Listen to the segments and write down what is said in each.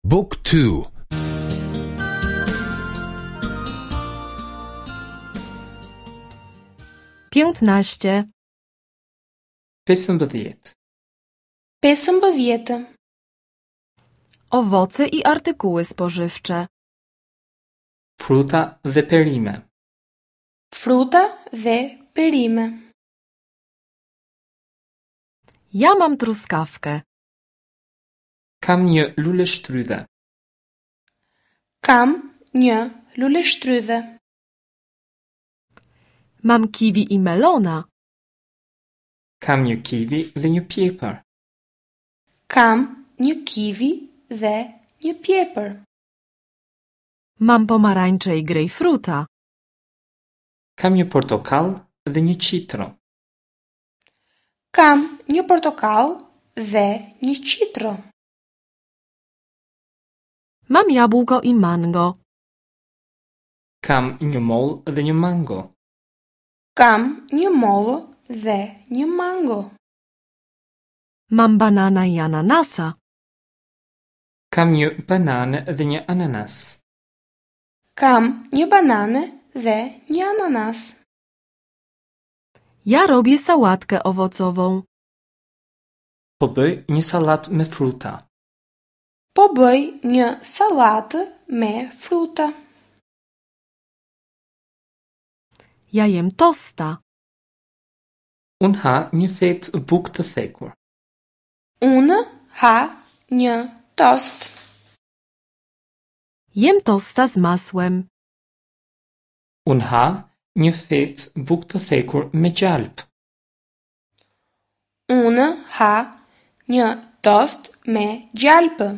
Book 2 15. 15. 15. Owoce i artykuły spożywcze. Fruta dhe perime. Fruta dhe perime. Ja mam truskawkę. Kam një luleshtrydhe. Kam një luleshtrydhe. Mam kiwi i melona. Kam një kiwi dhe një pjepër. Kam një kiwi dhe një pjepër. Mam pomarańcze i grejpfruta. Kam një portokall dhe një qitro. Kam një portokall dhe një qitro. Mam jabłko i mango. Kam një mollë dhe një mango. Kam një mollë dhe një mango. Mam banana i ananasa. Kam një banane dhe një ananas. Kam një banane dhe një ananas. Ja robię sałatkę owocową. Po bëj një sallatë me fruta. Po bëj një sallatë me fruta. Ja jem tosta. Unë ha një fetë bukë të thekur. Unë ha një tost. Jem tosta z masłem. Unë ha një fetë bukë të thekur me gjalp. Unë ha një tost me gjalpë.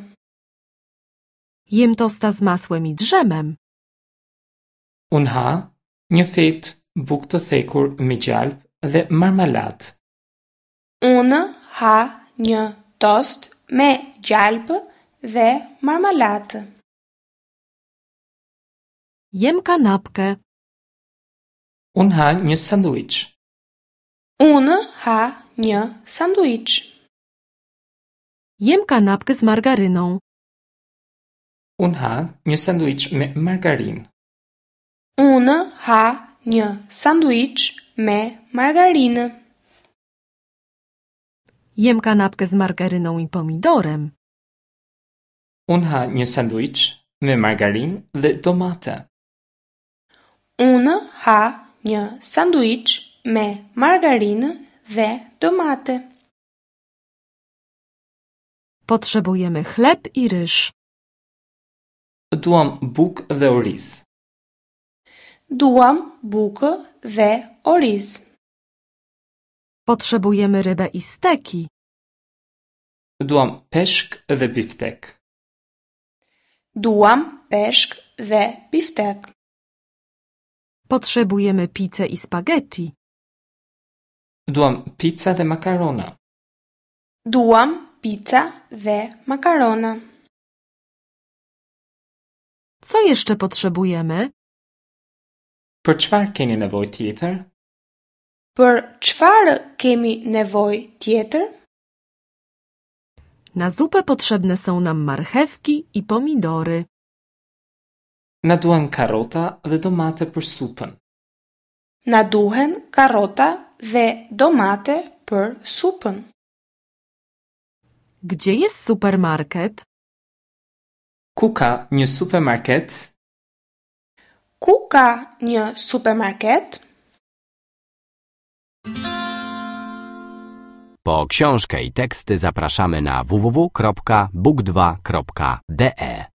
Jem tosta z masłem i dżemem. Unë ha një fetë bukë të thekur me gjalp dhe marmalatë. Unë ha një tost me gjalpë dhe marmalatë. Jem kanapkę. Unë ha një sanduiç. Unë ha një sanduiç. Jem kanapkę z margaryną. Unë ha një sanduiç me margarinë. Unë ha një sanduiç me margarinë. Jem kanapkę z margaryną i pomidorem. Unë ha një sanduiç me margarinë dhe domate. Unë ha një sanduiç me margarinë dhe domate. Potrzebujemy chleb i ryż. Duam bukë dhe oriz. Duam bukë dhe oriz. Potrzebujemy rybę i steki. Duam peshk dhe biftek. Duam peshk dhe biftek. Potrzebujemy pizzę i spaghetti. Duam pizza dhe makarona. Duam pizza dhe makarona. Co jeszcze potrzebujemy? Për çfarë keni nevojë tjetër? Për çfarë kemi nevojë tjetër? Na zupę potrzebne są nam marchewki i pomidory. Na duhen karota dhe domate për supën. Na duhen karota dhe domate për supën. Gdzie jest supermarket? Ku ka një supermarket? Ku ka një supermarket? Po książkę i teksty zapraszamy na www.book2.de.